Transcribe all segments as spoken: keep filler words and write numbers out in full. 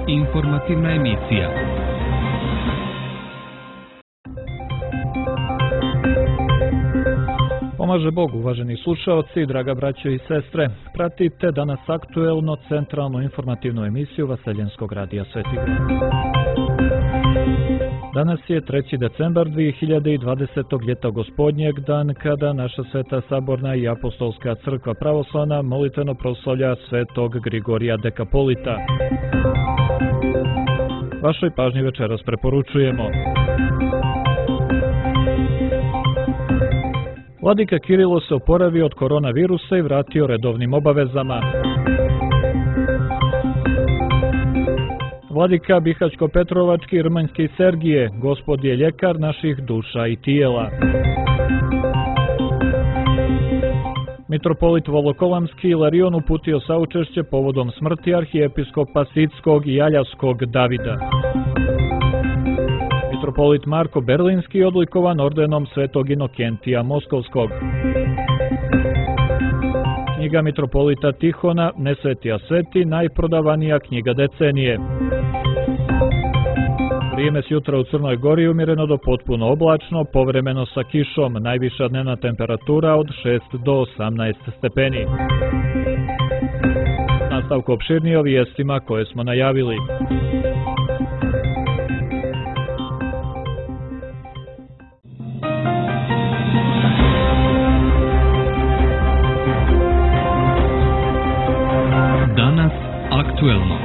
Informativna emisija. Pomaže Bog, uvaženi slušaoci, draga braćo i sestre. Pratite danas aktuelno centralnu informativnu emisiju Vaseljenskog radija Sveti Gor. Danas je treći decembar dvije hiljade dvadesetog ljeta gospodnjeg, dan kada naša Sveta Saborna i Apostolska crkva pravoslavna molitveno proslavlja svetog Grigorija Dekapolita. Vašoj pažnji večeras preporučujemo: Vladika Kirilo se oporavio od koronavirusa i vratio redovnim obavezama. Vladika Bihaćko-Petrovački i Rmanjski Sergije, Gospod je ljekar naših duša i tijela. Mitropolit Volokolamski Ilarion uputio saučešće povodom smrti arhijepiskopa Sidskog i Aljavskog Davida. Mitropolit Marko Berlinski odlikovan ordenom Svetog Inokentija Moskovskog. Knjiga mitropolita Tihona, Ne sveti a sveti, najprodavanija knjiga decenije. Vrijeme s jutra u Crnoj Gori umjereno do potpuno oblačno, povremeno sa kišom, najviša dnevna temperatura od šest do osamnaest stepeni. Nastavku opširnije o vijestima koje smo najavili. Danas aktuelno.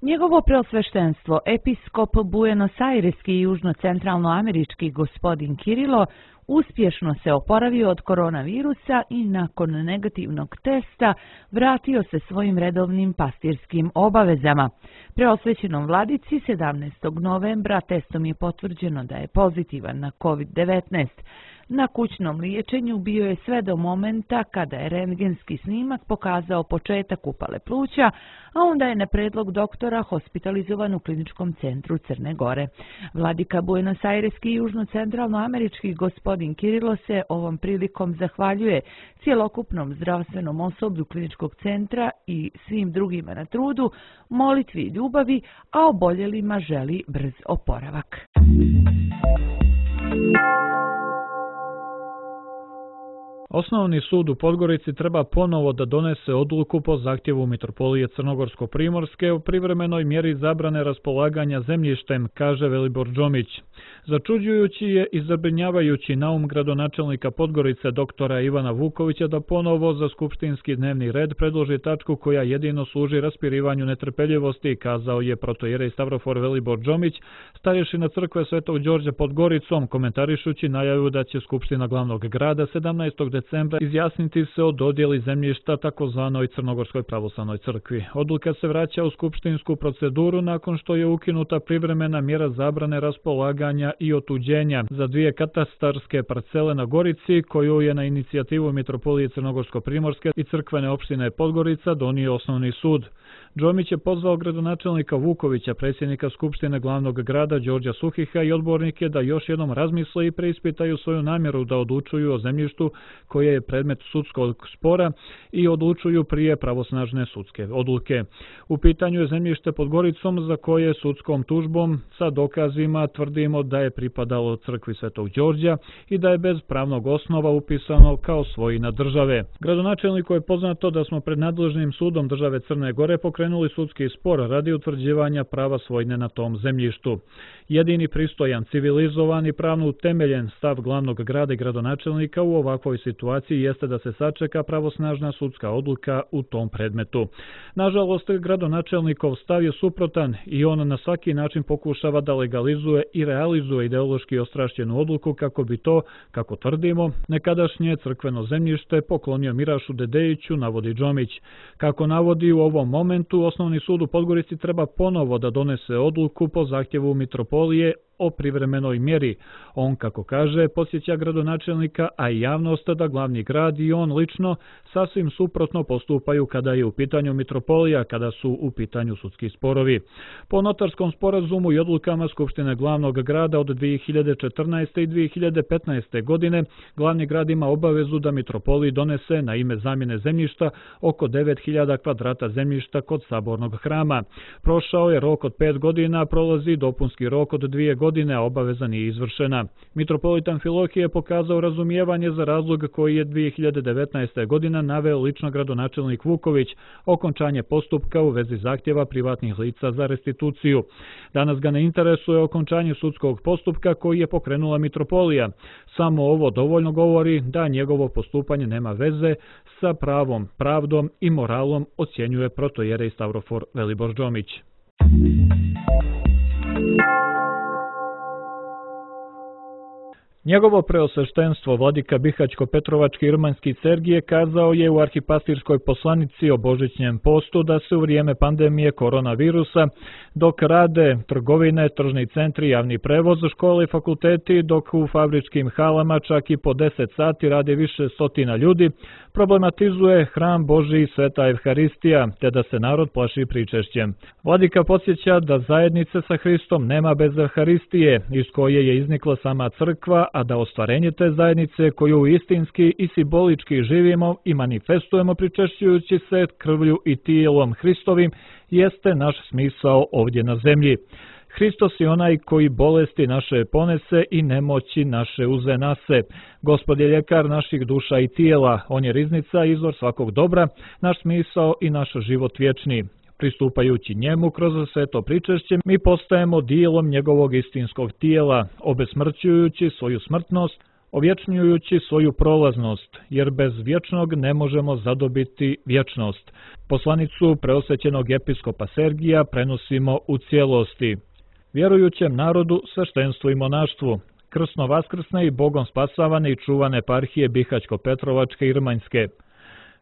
Njegovo preosveštenstvo, episkop Buenos-Aireski i južno-centralnoamerički gospodin Kirilo uspješno se oporavio od koronavirusa i nakon negativnog testa vratio se svojim redovnim pastirskim obavezama. Preosvećenom vladici sedamnaestog novembra testom je potvrđeno da je pozitivan na kovid devetnaest. Na kućnom liječenju bio je sve do momenta kada je rentgenski snimak pokazao početak upale pluća, a onda je na predlog doktora hospitalizovan u kliničkom centru Crne Gore. Vladika Buenos-Aireski i južno-centralnoamerički gospodin Kirilo se ovom prilikom zahvaljuje cjelokupnom zdravstvenom osoblju kliničkog centra i svim drugima na trudu, molitvi i ljubavi, a oboljelima želi brz oporavak. Osnovni sud u Podgorici treba ponovo da donese odluku po zahtjevu Mitropolije Crnogorsko-Primorske o privremenoj mjeri zabrane raspolaganja zemljištem, kaže Velibor Džomić. Začuđujući je i zabrinjavajući naum gradonačelnika Podgorice doktora Ivana Vukovića da ponovo za skupštinski dnevni red predloži tačku koja jedino služi raspirivanju netrpeljivosti, kazao je protoijerej Stavrofor Velibor Džomić, starješina crkve Svetog Đorđa pod Goricom, komentarišući najavu da će Skupština glavnog grada sedamnaestog decembra izjasniti se o dodjeli zemljišta takozvanoj Crnogorskoj pravoslavnoj crkvi. Odluka se vraća u skupštinsku proceduru nakon što je ukinuta privremena mjera zabrane raspolaganja i otuđenja za dvije katastarske parcele na Gorici, koju je na inicijativu Mitropolije Crnogorsko-Primorske i crkvene opštine Podgorica donio osnovni sud. Džomić je pozvao gradonačelnika Vukovića, predsjednika Skupštine glavnog grada Đorđa Suhiha i odbornike da još jednom razmisle i preispitaju svoju namjeru da odlučuju o zemljištu koje je predmet sudskog spora i odlučuju prije pravosnažne sudske odluke. U pitanju je zemljište pod Goricom za koje sudskom tužbom sa dokazima tvrdimo da je pripadalo crkvi Svetog Đorđa i da je bez pravnog osnova upisano kao svojina države. Gradonačelniku je poznato da smo pred nadležnim sudom države Crne Gore pokrenuli sudski spor radi utvrđivanja prava svojine na tom zemljištu. Jedini pristojan, civilizovan i pravno utemeljen stav glavnog grada i gradonačelnika u ovakvoj situaciji jeste da se sačeka pravosnažna sudska odluka u tom predmetu. Nažalost, gradonačelnikov stav je suprotan i on na svaki način pokušava da legalizuje i realizuje ideološki ostrašćenu odluku kako bi to, kako tvrdimo, nekadašnje crkveno zemljište poklonio Mirašu Dedejiću, navodi Džomić. Kako navodi, u ovom momentu Osnovni sud u Podgorici treba ponovo da donese odluku po zahtjevu Mitropolije o privremenoj mjeri. On, kako kaže, podsjeća gradonačelnika, a i javnost da glavni grad i on lično sasvim suprotno postupaju kada je u pitanju mitropolija, kada su u pitanju sudski sporovi. Po notarskom sporazumu i odlukama Skupštine glavnog grada od dvije hiljade četrnaeste. i dvije hiljade petnaeste. godine, glavni grad ima obavezu da mitropoliji donese na ime zamjene zemljišta oko devet hiljada kvadrata zemljišta kod kod sabornog hrama. Prošao je rok od pet godina, prolazi dopunski rok od dvije godine, a obaveza nije izvršena. Mitropolit Amfilohije je pokazao razumijevanje za razlog koji je dvije hiljade devetnaeste. godina naveo lično gradonačelnik Vuković, okončanje postupka u vezi zahtjeva privatnih lica za restituciju. Danas ga ne interesuje okončanje sudskog postupka koji je pokrenula mitropolija. Samo ovo dovoljno govori da njegovo postupanje nema veze sa pravom, pravdom i moralom, ocjenjuje protojerej Stavrofor Velibor Džomić. Njegovo preosveštenstvo vladika Bihaćko-Petrovački Irmanski Sergije kazao je u arhipastirskoj poslanici o božićnjem postu da se u vrijeme pandemije koronavirusa, dok rade trgovine, tržni centri, javni prevoz, škole i fakulteti, dok u fabričkim halama čak i po deset sati radi više stotina ljudi, problematizuje hram Božji i Sveta Evharistija, te da se narod plaši pričešćem. Vladika podsjeća da zajednice sa Hristom nema bez Evharistije, iz koje je iznikla sama crkva, a da ostvarenje te zajednice koju istinski i simbolički živimo i manifestujemo pričešćujući se krvlju i tijelom Hristovim, jeste naš smisao ovdje na zemlji. Hristos je onaj koji bolesti naše ponese i nemoći naše uze nase. Gospod je ljekar naših duša i tijela, on je riznica, izvor svakog dobra, naš smisao i naš život vječni. Pristupajući njemu kroz sveto pričešće, mi postajemo dijelom njegovog istinskog tijela, obesmrćujući svoju smrtnost, ovječnjujući svoju prolaznost, jer bez vječnog ne možemo zadobiti vječnost. Poslanicu preosvećenog episkopa Sergija prenosimo u cijelosti. Vjerujućem narodu, sveštenstvu i monaštvu, krsno vaskrsne i Bogom spasavane i čuvane eparhije Bihaćko-Petrovačke i Irmanjske.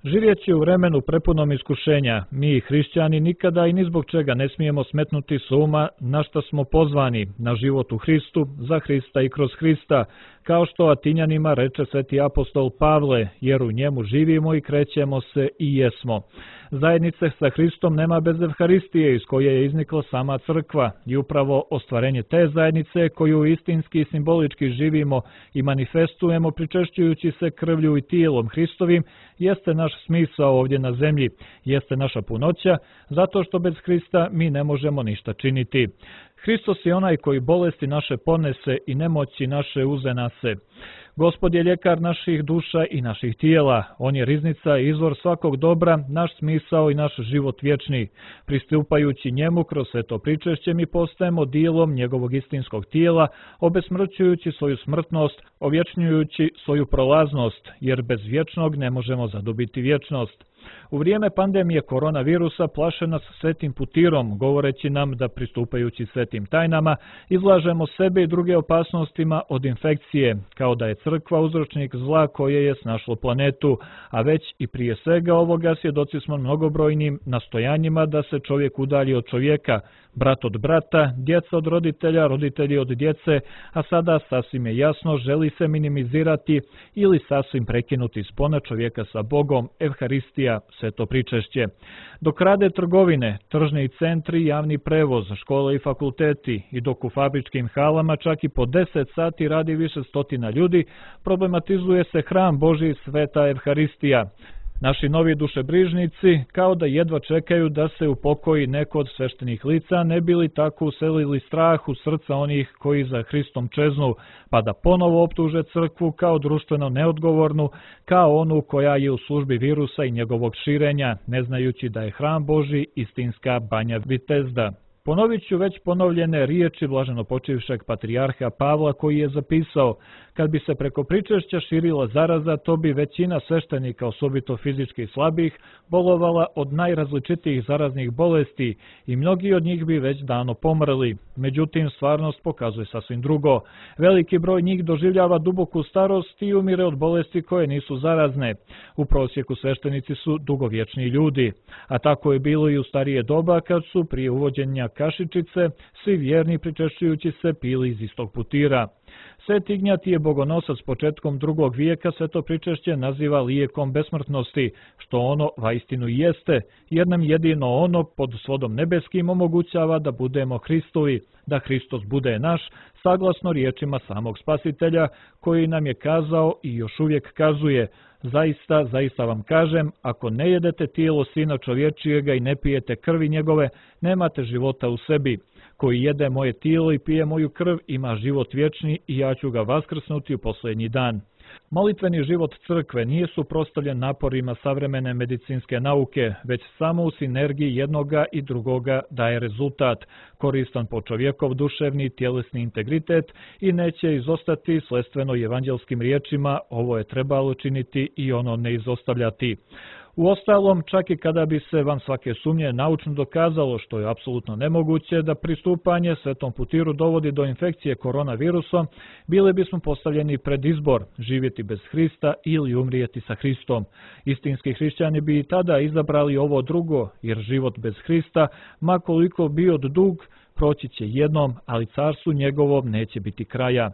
Živjeći u vremenu prepunom iskušenja, mi hrišćani nikada i ni zbog čega ne smijemo smetnuti s uma na šta smo pozvani, na život u Hristu, za Hrista i kroz Hrista, kao što Atinjanima reče sveti apostol Pavle, jer u njemu živimo i krećemo se i jesmo. Zajednice sa Hristom nema bez Evharistije, iz koje je iznikla sama crkva, i upravo ostvarenje te zajednice koju istinski i simbolički živimo i manifestujemo pričešćujući se krvlju i tijelom Hristovim, jeste naš smisao ovdje na zemlji, jeste naša punoća, zato što bez Hrista mi ne možemo ništa činiti. Hristos je onaj koji bolesti naše ponese i nemoći naše uze nase. Gospod je ljekar naših duša i naših tijela, on je riznica i izvor svakog dobra, naš smisao i naš život vječni. Pristupajući njemu kroz sveto pričešće mi postajemo dijelom njegovog istinskog tijela, obesmrćujući svoju smrtnost, ovječnjujući svoju prolaznost, jer bez vječnog ne možemo zadobiti vječnost. U vrijeme pandemije koronavirusa plaše nas svetim putirom, govoreći nam da pristupajući svetim tajnama izlažemo sebe i druge opasnostima od infekcije, kao da je crkva uzročnik zla koje je snašlo planetu, a već i prije svega ovoga svjedoci smo mnogobrojnim nastojanjima da se čovjek udalji od čovjeka, brat od brata, djeca od roditelja, roditelji od djece, a sada sasvim je jasno želi se minimizirati ili sasvim prekinuti spona čovjeka sa Bogom, Evharistija, sveto pričešće. Dok rade trgovine, tržni centri, javni prevoz, škole i fakulteti i dok u fabričkim halama čak i po deset sati radi više stotina ljudi, problematizuje se hram Božji Sveta Evharistija. Naši novi dušebrižnici kao da jedva čekaju da se upokoji neko od sveštenih lica, ne bi li tako uselili strah u srca onih koji za Hristom čeznu, pa da ponovo optuže crkvu kao društveno neodgovornu, kao onu koja je u službi virusa i njegovog širenja, ne znajući da je hram Božji istinska banja Vitezda. Ponovit ću već ponovljene riječi blaženopočivšeg patrijarha Pavla koji je zapisao: kad bi se preko pričešća širila zaraza, to bi većina sveštenika, osobito fizički slabih, bolovala od najrazličitijih zaraznih bolesti i mnogi od njih bi već davno pomrli. Međutim, stvarnost pokazuje sasvim drugo. Veliki broj njih doživljava duboku starost i umire od bolesti koje nisu zarazne. U prosjeku sveštenici su dugovječni ljudi, a tako je bilo i u starije doba kad su prije uvođenja kašičice svi vjerni pričešćujući se pili iz istog putira. Sveti Ignjatije Bogonosac početkom drugog vijeka sve to pričešće naziva lijekom besmrtnosti, što ono vaistinu jeste, jer nam jedino ono pod svodom nebeskim omogućava da budemo Hristovi, da Hristos bude naš, saglasno riječima samog Spasitelja, koji nam je kazao i još uvijek kazuje: zaista, zaista vam kažem, ako ne jedete tijelo Sina čovječijega i ne pijete krvi njegove, nemate života u sebi. Koji jede moje tijelo i pije moju krv ima život vječni i ja ću ga vaskrsnuti u posljednji dan. Molitveni život crkve nije suprotstavljen naporima savremene medicinske nauke, već samo u sinergiji jednoga i drugoga daje rezultat, koristan po čovjekov duševni i tjelesni integritet i neće izostati sledstveno evanđelskim riječima: ovo je trebalo činiti i ono ne izostavljati. Uostalom, čak i kada bi se van svake sumnje naučno dokazalo, što je apsolutno nemoguće, da pristupanje Svetom putiru dovodi do infekcije koronavirusom, bili bismo postavljeni pred izbor: živjeti bez Hrista ili umrijeti sa Hristom. Istinski hrišćani bi i tada izabrali ovo drugo, jer život bez Hrista, ma koliko bio dug, proći će jednom, ali carstvu njegovom neće biti kraja.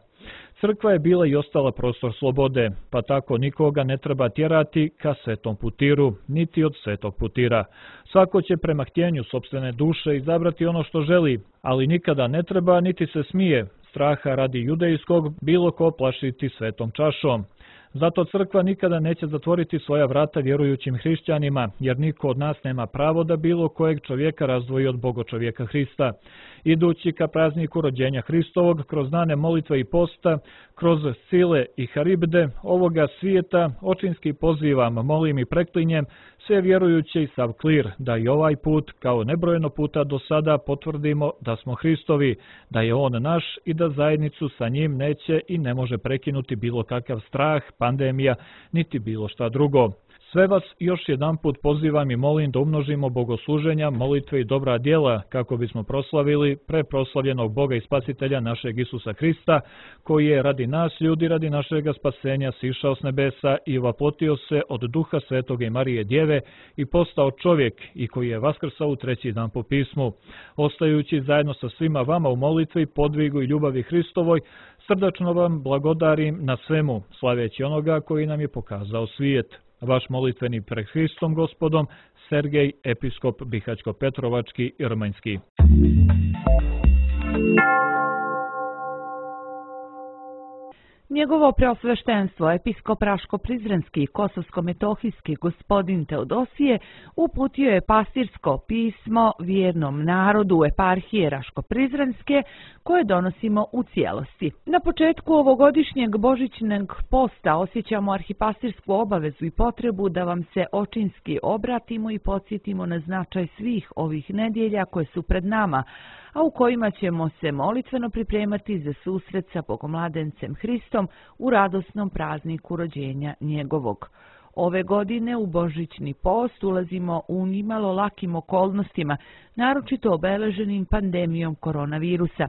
Crkva je bila i ostala prostor slobode, pa tako nikoga ne treba tjerati ka Svetom putiru, niti od Svetog putira. Svako će prema htjenju sopstvene duše izabrati ono što želi, ali nikada ne treba niti se smije straha radi judejskog bilo ko plašiti svetom čašom. Zato crkva nikada neće zatvoriti svoja vrata vjerujućim hrišćanima, jer niko od nas nema pravo da bilo kojeg čovjeka razdvoji od Bogočovjeka Hrista. Idući ka prazniku rođenja Hristovog, kroz dane molitve i posta, kroz sile i haribde ovoga svijeta, očinski pozivam, molim i preklinjem sve vjerujuće i sav klir, da i ovaj put, kao nebrojeno puta do sada, potvrdimo da smo Hristovi, da je On naš i da zajednicu sa njim neće i ne može prekinuti bilo kakav strah, pandemija, niti bilo šta drugo. Sve vas još jedanput pozivam i molim da umnožimo bogosluženja, molitve i dobra djela, kako bismo proslavili preproslavljenog Boga i Spasitelja našeg Isusa Hrista, koji je radi nas ljudi, radi našega spasenja sišao s nebesa i vaplotio se od Duha Svetoga i Marije Djeve i postao čovjek, i koji je vaskrsao u treći dan po pismu. Ostajući zajedno sa svima vama u molitvi, podvigu i ljubavi Hristovoj, srdačno vam blagodarim na svemu, slaveći onoga koji nam je pokazao svijet. Vaš molitveni pred Hristom Gospodom, Sergej, episkop Bihaćko-Petrovački i Rmanjski. Njegovo preosveštenstvo, episkop Raško-Prizrenski i Kosovsko-Metohijski gospodin Teodosije, uputio je pastirsko pismo vjernom narodu eparhije Raško-Prizrenske, koje donosimo u cijelosti. Na početku ovogodišnjeg božićnog posta osjećamo arhipastirsku obavezu i potrebu da vam se očinski obratimo i podsjetimo na značaj svih ovih nedjelja koje su pred nama, a u kojima ćemo se molitveno pripremati za susret sa Bogomladencem Hristom u radosnom prazniku rođenja njegovog. Ove godine u božićni post ulazimo u nimalo lakim okolnostima, naročito obeleženim pandemijom koronavirusa.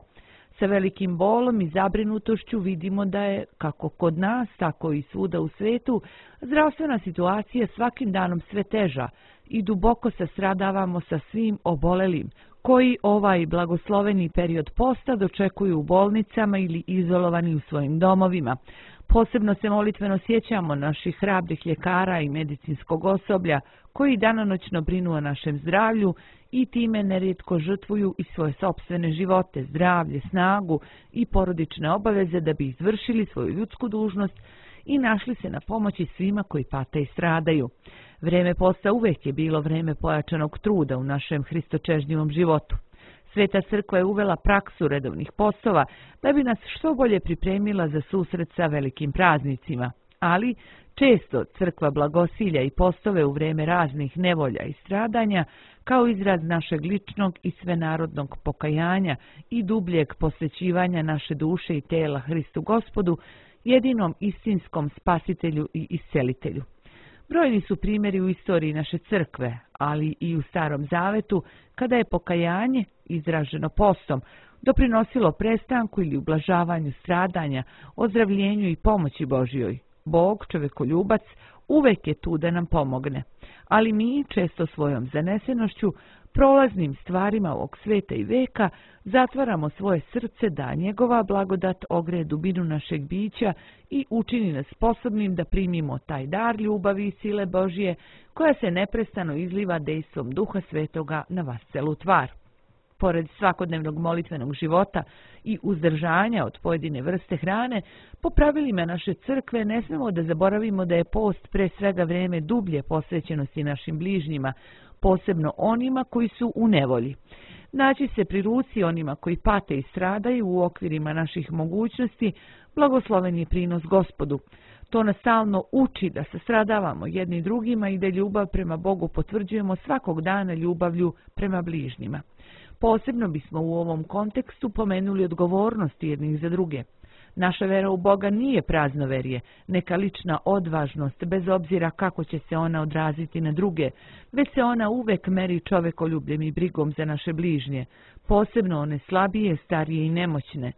Sa velikim bolom i zabrinutošću vidimo da je, kako kod nas, tako i svuda u svijetu, zdravstvena situacija svakim danom sve teža i duboko se stradavamo sa svim obolelim, koji ovaj blagosloveni period posta dočekuju u bolnicama ili izolovani u svojim domovima. Posebno se molitveno sjećamo naših hrabrih ljekara i medicinskog osoblja, koji danonoćno brinu o našem zdravlju i time nerijetko žrtvuju i svoje sopstvene živote, zdravlje, snagu i porodične obaveze da bi izvršili svoju ljudsku dužnost i našli se na pomoći svima koji pate i stradaju. Vreme posta uvijek je bilo vreme pojačanog truda u našem hristočežnjivom životu. Sveta crkva je uvela praksu redovnih postova da bi nas što bolje pripremila za susret sa velikim praznicima, ali često crkva blagosilja i postove u vrijeme raznih nevolja i stradanja kao izraz našeg ličnog i svenarodnog pokajanja i dubljeg posvećivanja naše duše i tela Hristu Gospodu, jedinom istinskom spasitelju i iscelitelju. Brojni su primjeri u istoriji naše crkve, ali i u Starom Zavetu, kada je pokajanje, izraženo postom, doprinosilo prestanku ili ublažavanju stradanja, ozdravljenju i pomoći Božjoj. Bog, čovekoljubac, uvek je tu da nam pomogne, ali mi često svojom zanesenošću prolaznim stvarima ovog sveta i veka zatvaramo svoje srce da njegova blagodat ogreje dubinu našeg bića i učini nas sposobnim da primimo taj dar ljubavi i sile Božje koja se neprestano izliva dejstvom Duha Svetoga na vas celu tvar. Pored svakodnevnog molitvenog života i uzdržanja od pojedine vrste hrane, po pravilima naše crkve ne smemo da zaboravimo da je post pre svega vreme dublje posvećenosti našim bližnjima, posebno onima koji su u nevolji. Naći se pri ruci onima koji pate i stradaju u okvirima naših mogućnosti, blagosloven je prinos Gospodu. To nas stalno uči da se stradavamo jedni drugima i da ljubav prema Bogu potvrđujemo svakog dana ljubavlju prema bližnjima. Posebno bismo u ovom kontekstu pomenuli odgovornosti jednih za druge. Naša vera u Boga nije praznoverje, neka lična odvažnost, bez obzira kako će se ona odraziti na druge, već se ona uvek meri čovekoljubljem i brigom za naše bližnje, posebno one slabije, starije i nemoćne.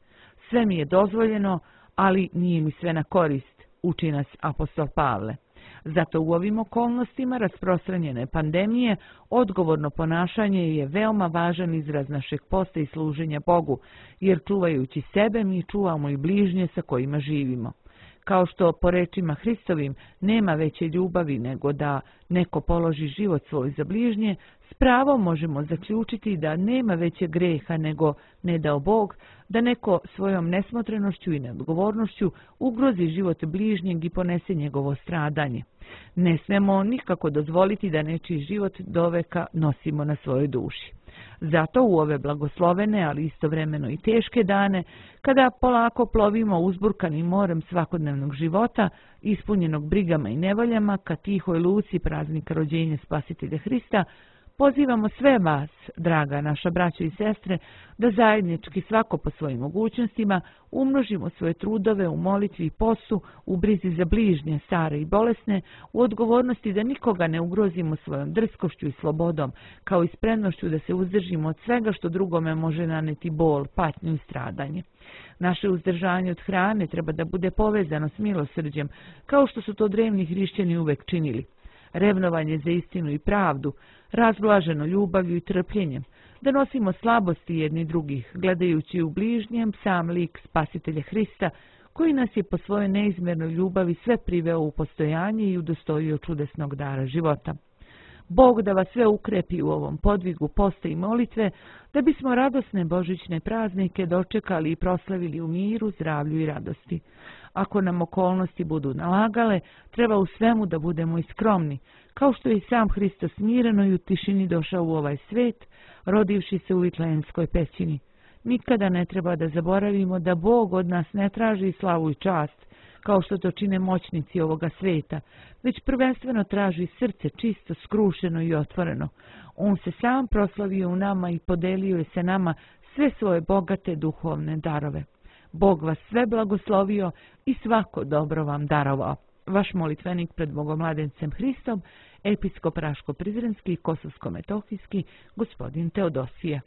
Sve mi je dozvoljeno, ali nije mi sve na korist, uči nas apostol Pavle. Zato u ovim okolnostima rasprostranjene pandemije odgovorno ponašanje je veoma važan izraz našeg posta i služenja Bogu, jer čuvajući sebe mi čuvamo i bližnje sa kojima živimo. Kao što po rečima Hristovim nema veće ljubavi nego da neko položi život svoj za bližnje, s pravom možemo zaključiti da nema veće greha nego ne dao Bog, da neko svojom nesmotrenošću i neodgovornošću ugrozi život bližnjeg i ponese njegovo stradanje. Ne smemo nikako dozvoliti da nečiji život doveka nosimo na svojoj duši. Zato u ove blagoslovene, ali istovremeno i teške dane, kada polako plovimo uzburkanim morem svakodnevnog života, ispunjenog brigama i nevoljama, ka tihoj luci praznika rođenja Spasitelja Hrista, pozivamo sve vas, draga naša braćo i sestre, da zajednički svako po svojim mogućnostima umnožimo svoje trudove u molitvi i postu, u brizi za bližnje, stare i bolesne, u odgovornosti da nikoga ne ugrozimo svojom drskošću i slobodom, kao i spremnošću da se uzdržimo od svega što drugome može naneti bol, patnju i stradanje. Naše uzdržanje od hrane treba da bude povezano s milosrđem, kao što su to drevni hrišćani uvek činili. Revnovanje za istinu i pravdu, razblaženo ljubavlju i trpljenjem, da nosimo slabosti jedni drugih, gledajući u bližnjem sam lik Spasitelja Hrista, koji nas je po svojoj neizmjernoj ljubavi sve priveo u postojanje i udostojio čudesnog dara života. Bog da vas sve ukrepi u ovom podvigu posta i molitve, da bismo radosne božićne praznike dočekali i proslavili u miru, zdravlju i radosti. Ako nam okolnosti budu nalagale, treba u svemu da budemo i skromni, kao što je i sam Hristos smireno i u tišini došao u ovaj svet, rodivši se u Vitlejemskoj pećini. Nikada ne treba da zaboravimo da Bog od nas ne traži slavu i čast, kao što to čine moćnici ovoga sveta, već prvenstveno traži srce čisto, skrušeno i otvoreno. On se sam proslavio u nama i podelio je se nama sve svoje bogate duhovne darove. Bog vas sve blagoslovio i svako dobro vam darovao. Vaš molitvenik pred Bogomladencem Hristom, episkop Raško-Prizrenski i Kosovsko-Metohijski, gospodin Teodosije.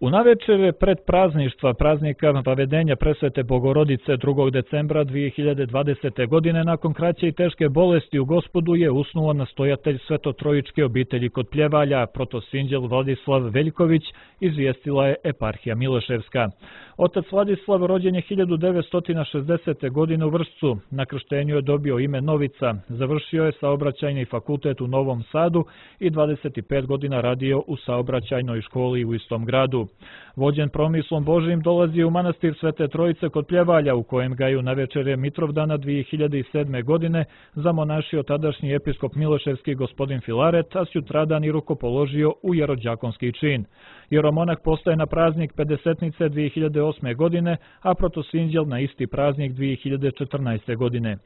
U navečer pred prazništva praznika Vavedenja Presvete Bogorodice drugog decembra dvije hiljade dvadesete. godine nakon kraće i teške bolesti u Gospodu je usnuo nastojatelj Svetotrojičke obitelji kod Pljevalja, protosinđel Vladislav Veljković, izvijestila je eparhija Miloševska. Otac Vladislav rođen je hiljadu devetsto šezdesete. godine u Vršcu. Na krštenju je dobio ime Novica. Završio je saobraćajni fakultet u Novom Sadu i dvadeset pet godina radio u saobraćajnoj školi u istom gradu. Vođen promislom Božijim dolazi u manastir Svete Trojice kod Pljevalja, u kojem ga je u navečerje Mitrovdana dvije hiljade sedme. godine zamonašio tadašnji episkop Miloševski gospodin Filaret, a sutradan i rukopoložio u jerođakonski čin. Jeromonah postaje na praznik pedesetnice dvije hiljade osme. godine, a protosinđel na isti praznik dvije hiljade četrnaeste. godine.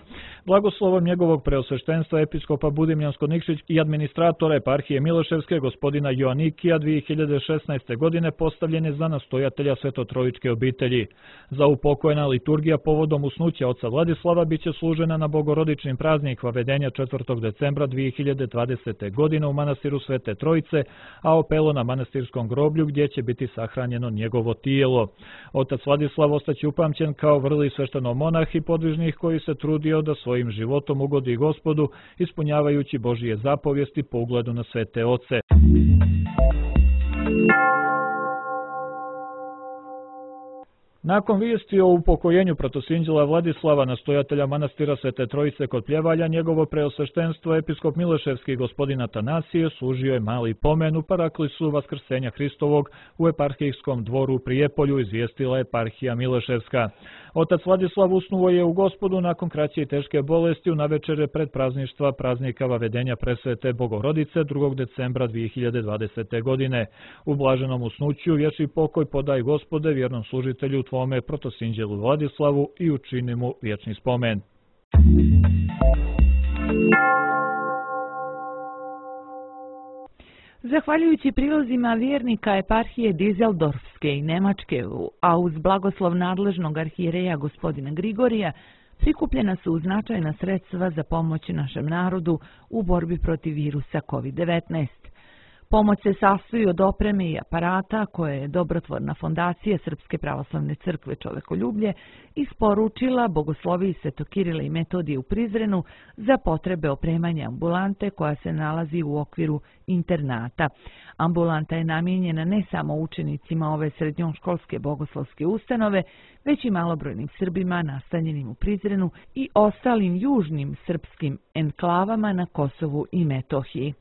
Blagoslovom njegovog preosveštenstva episkopa Budimljansko-Nikšić i administratora eparhije Miloševske gospodina Joanikija dvije hiljade šesnaeste. godine postaje postavljene za nastojatelja svetotrojičke obitelji. Za upokojena liturgija povodom usnuća oca Vladislava biće služena na bogorodičnim praznik Vavedenja četvrtog decembra dvije hiljade dvadesete. godine u manastiru Svete Trojice, a opelo na manastirskom groblju gdje će biti sahranjeno njegovo tijelo. Otac Vladislav ostaće upamćen kao vrli sveštenomonah i podvižnik koji se trudio da svojim životom ugodi Gospodu, ispunjavajući Božije zapovijesti po ugledu na svete oce. Nakon vijesti o upokojenju protosinđela Vladislava, nastojatelja manastira Svete Trojice kod Pljevalja, njegovo preosveštenstvo episkop Mileševski gospodin Atanasije služio je mali pomen u paraklisu Vaskrsenja Hristovog u eparhijskom dvoru u Prijepolju, izvijestila eparhija Mileševska. Otac Vladislav usnuo je u Gospodu nakon kraće i teške bolesti u navečere pred prazništva praznika Vavedenja Presvete Bogorodice drugog decembra dvije hiljade dvadesete. godine. U blaženom usnuću vječni pokoj podaj Gospode vjernom služitelju Tvome protosinđelu Vladislavu i učini mu vječni spomen. Zahvaljujući prilozima vjernika eparhije Dizeldorfske i Nemačke, a uz blagoslov nadležnog arhijereja gospodina Grigorija, prikupljena su značajna sredstva za pomoć našem narodu u borbi protiv virusa kovid devetnaest. Pomoć se sastoji od opreme i aparata koje je dobrotvorna fondacija Srpske pravoslavne crkve Čovekoljublje isporučila bogosloviji Svetokirile i Metodije u Prizrenu za potrebe opremanja ambulante koja se nalazi u okviru internata. Ambulanta je namijenjena ne samo učenicima ove srednjoškolske bogoslovske ustanove, već i malobrojnim Srbima nastanjenim u Prizrenu i ostalim južnim srpskim enklavama na Kosovu i Metohiji.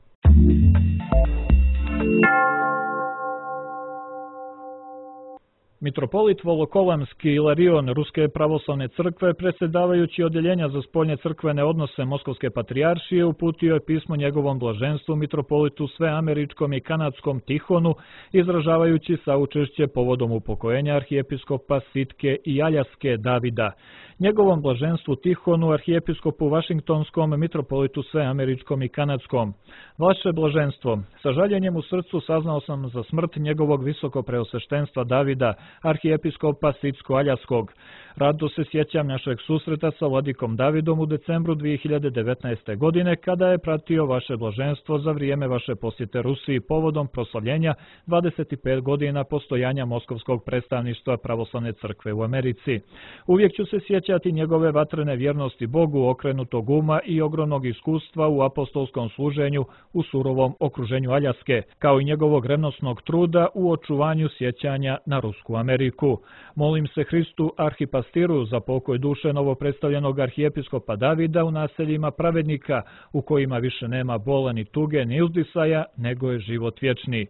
Mitropolit Volokolamski Ilarion Ruske pravoslavne crkve, predsjedavajući odjeljenja za spoljne crkvene odnose Moskovske patrijaršije, uputio je pismo njegovom blaženstvu mitropolitu sveameričkom i kanadskom Tihonu, izražavajući saučešće povodom upokojenja arhijepiskopa Sitke i Aljaske Davida. Njegovom blaženstvu Tihonu, arhijepiskopu Vašingtonskom, mitropolitu sveameričkom i kanadskom. Vaše blaženstvo, sa žaljenjem u srcu saznao sam za smrt njegovog visoko preosveštenstva Davida, arhijepiskopa Sitsko-Aljaskog. Rado se sjećam našeg susreta sa vladikom Davidom u decembru dvije hiljade devetnaeste. godine, kada je pratio vaše blaženstvo za vrijeme vaše posjete Rusiji povodom proslavljenja dvadeset pet godina postojanja Moskovskog predstavništva pravoslavne crkve u Americi. Uvijek ću se sjećati njegove vatrene vjernosti Bogu, okrenutog uma i ogromnog iskustva u apostolskom služenju u surovom okruženju Aljaske, kao i njegovog revnosnog truda u očuvanju sjećanja na Rusku Ameriku. Molim se Hristu arhipastiru za pokoj duše novopredstavljenog arhijepiskopa Davida u naseljima pravednika, u kojima više nema bola ni tuge ni uzdisaja, nego je život vječni.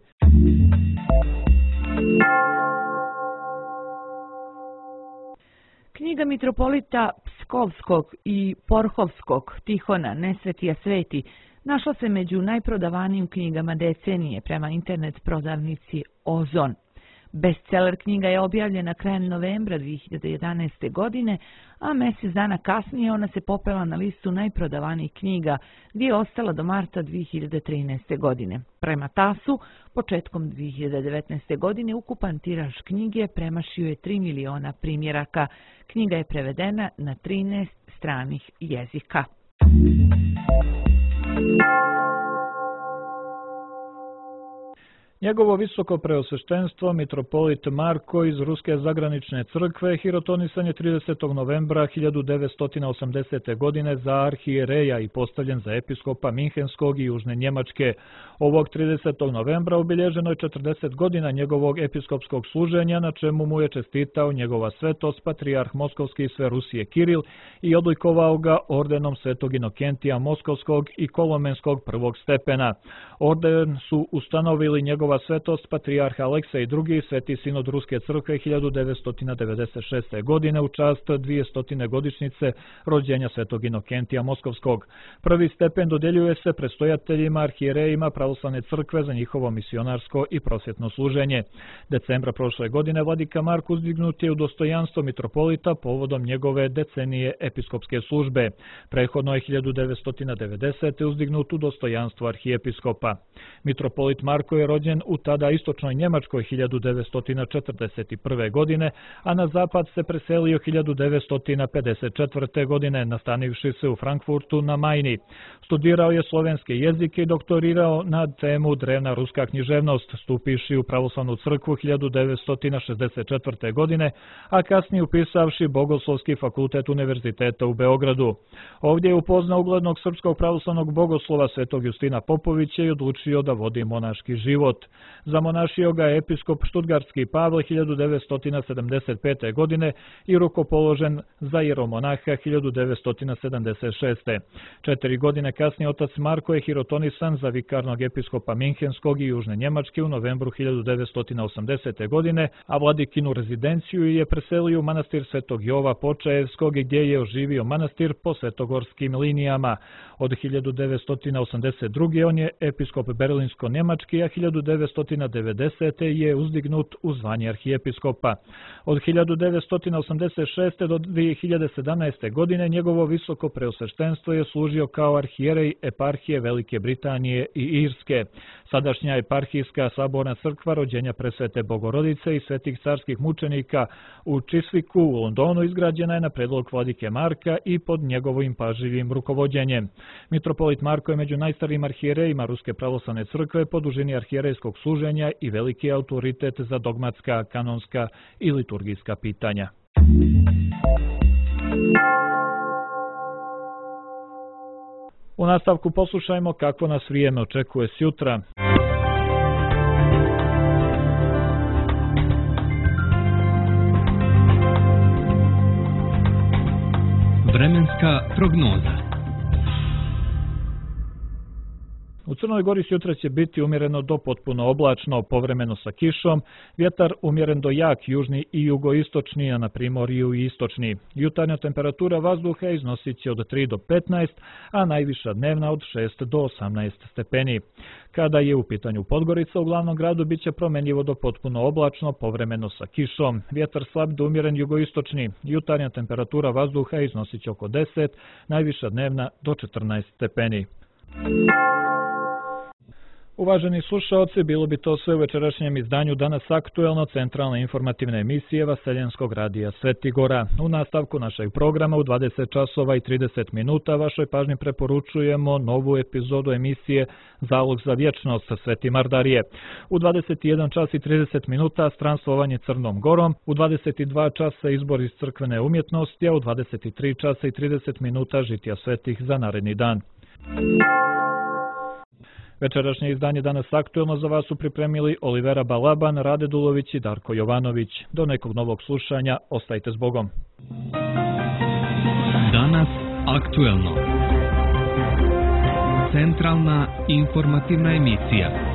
Knjiga mitropolita Pskovskog i Porhovskog Tihona Nesvetija sveti našla se među najprodavanijim knjigama decenije prema internet prodavnici Ozon. Bestseller knjiga je objavljena krajem novembra dvije hiljade jedanaeste. godine, a mjesec dana kasnije ona se popela na listu najprodavanijih knjiga, gdje je ostala do marta dvije hiljade trinaeste. godine. Prema tasu, početkom dvije hiljade devetnaeste. godine ukupan tiraž knjige premašio je tri miliona primjeraka. Knjiga je prevedena na trinaest stranih jezika. Njegovo visoko preosveštenstvo, mitropolit Marko iz Ruske zagranične crkve, hirotonisan je tridesetog novembra hiljadu devetsto osamdesete. godine za arhijereja i postavljen za episkopa Minhenskog i Južne Njemačke. Ovog tridesetog novembra obilježeno je četrdeset godina njegovog episkopskog služenja, na čemu mu je čestitao njegova svetost, patrijarh Moskovski i sve Rusije Kiril, i odlikovao ga ordenom svetog Inokentija Moskovskog i Kolomenskog prvog stepena. Orden su ustanovili njegova svetost, patrijarh Aleksej drugi, sveti sinod Ruske crkve hiljadu devetsto devedeset šeste. godine u čast dvijestotine godišnjice rođenja svetog Inokentija Moskovskog. Prvi stepen dodjeljuje se predstojateljima, arhijerejima pravoslavne crkve za njihovo misionarsko i prosvjetno služenje. Decembra prošle godine vladika Mark uzdignut je u dostojanstvo mitropolita povodom njegove decenije episkopske službe. Prethodno je hiljadu devetsto devedesete. uzdignut u dostojanstvo arhijepiskopa. Mitropolit Marko je rođen rođen u tada istočnoj Njemačkoj hiljadu devetsto četrdeset prve. godine, a na zapad se preselio hiljadu devetsto pedeset četvrte. godine, nastanivši se u Frankfurtu na Majni. Studirao je slovenske jezike i doktorirao na temu drevna ruska književnost, stupivši u pravoslavnu crkvu hiljadu devetsto šezdeset četvrte. godine, a kasnije upisavši Bogoslovski fakultet Univerziteta u Beogradu. Ovdje je upoznao uglednog srpskog pravoslavnog bogoslova svetog Justina Popovića i odlučio da vodi monaški život. Zamonašio ga je episkop Štutgartski Pavle hiljadu devetsto sedamdeset pete. godine i rukopoložen za jeromonaha hiljadu devetsto sedamdeset šeste. Četiri godine kasnije otac Marko je hirotonisan za vikarnog episkopa Minhenskog i Južne Njemačke u novembru hiljadu devetsto osamdesete. godine, a vladikinu rezidenciju je preselio u manastir Svetog Jova Počaevskog, gdje je oživio manastir po svetogorskim linijama. Od hiljadu devetsto osamdeset druge. on je episkop berlinsko-njemački, a hiljadu devetsto devedesete. je uzdignut u zvanje arhijepiskopa. Od hiljadu devetsto osamdeset šeste. do dvije hiljade sedamnaeste. godine njegovo visoko preosveštenstvo je služio kao arhijerej eparhije Velike Britanije i Irske. Sadašnja eparhijska saborna crkva Rođenja Presvete Bogorodice i svetih carskih mučenika u Chiswicku u Londonu izgrađena je na predlog vladike Marka i pod njegovim pažljivim rukovođenjem. Mitropolit Marko je među najstarijim arhijerejima Ruske pravoslavne crkve po dužini arhijerejskog služenja i veliki autoritet za dogmatska, kanonska i liturgijska pitanja. U nastavku poslušajmo kako nas vrijeme očekuje sjutra. Vremenska prognoza. U Crnoj Gori sutra će biti umjereno do potpuno oblačno, povremeno sa kišom, vjetar umjeren do jak južni i jugoistočni, a na primorju i istočni. Jutarnja temperatura vazduha iznosit će od tri do petnaest, a najviša dnevna od šest do osamnaest stepeni. Kada je u pitanju Podgorica, u glavnom gradu bit će promjenjivo do potpuno oblačno, povremeno sa kišom. Vjetar slab do umjeren jugoistočni. Jutarnja temperatura vazduha iznosit će oko deset, najviša dnevna do četrnaest stepeni. Uvaženi slušaoci, bilo bi to sve u večerašnjem izdanju Danas aktuelno centralne informativne emisije Vaseljenskog radija Svetigora. U nastavku našeg programa u dvadeset časova i trideset minuta vašoj pažnji preporučujemo novu epizodu emisije Zalog za vječnost sa Sveti Mardarije. U dvadeset jedan čas i trideset minuta Stranstvovanje Crnom Gorom, u dvadeset dva časa Izbor iz crkvene umjetnosti, a u dvadeset tri časa i trideset minuta Žitija svetih za naredni dan. Večerašnje izdanje Danas aktuelno za vas su pripremili Olivera Balaban, Rade Dulović i Darko Jovanović. Do nekog novog slušanja, ostajte s Bogom. Danas aktuelno. Centralna informativna emisija.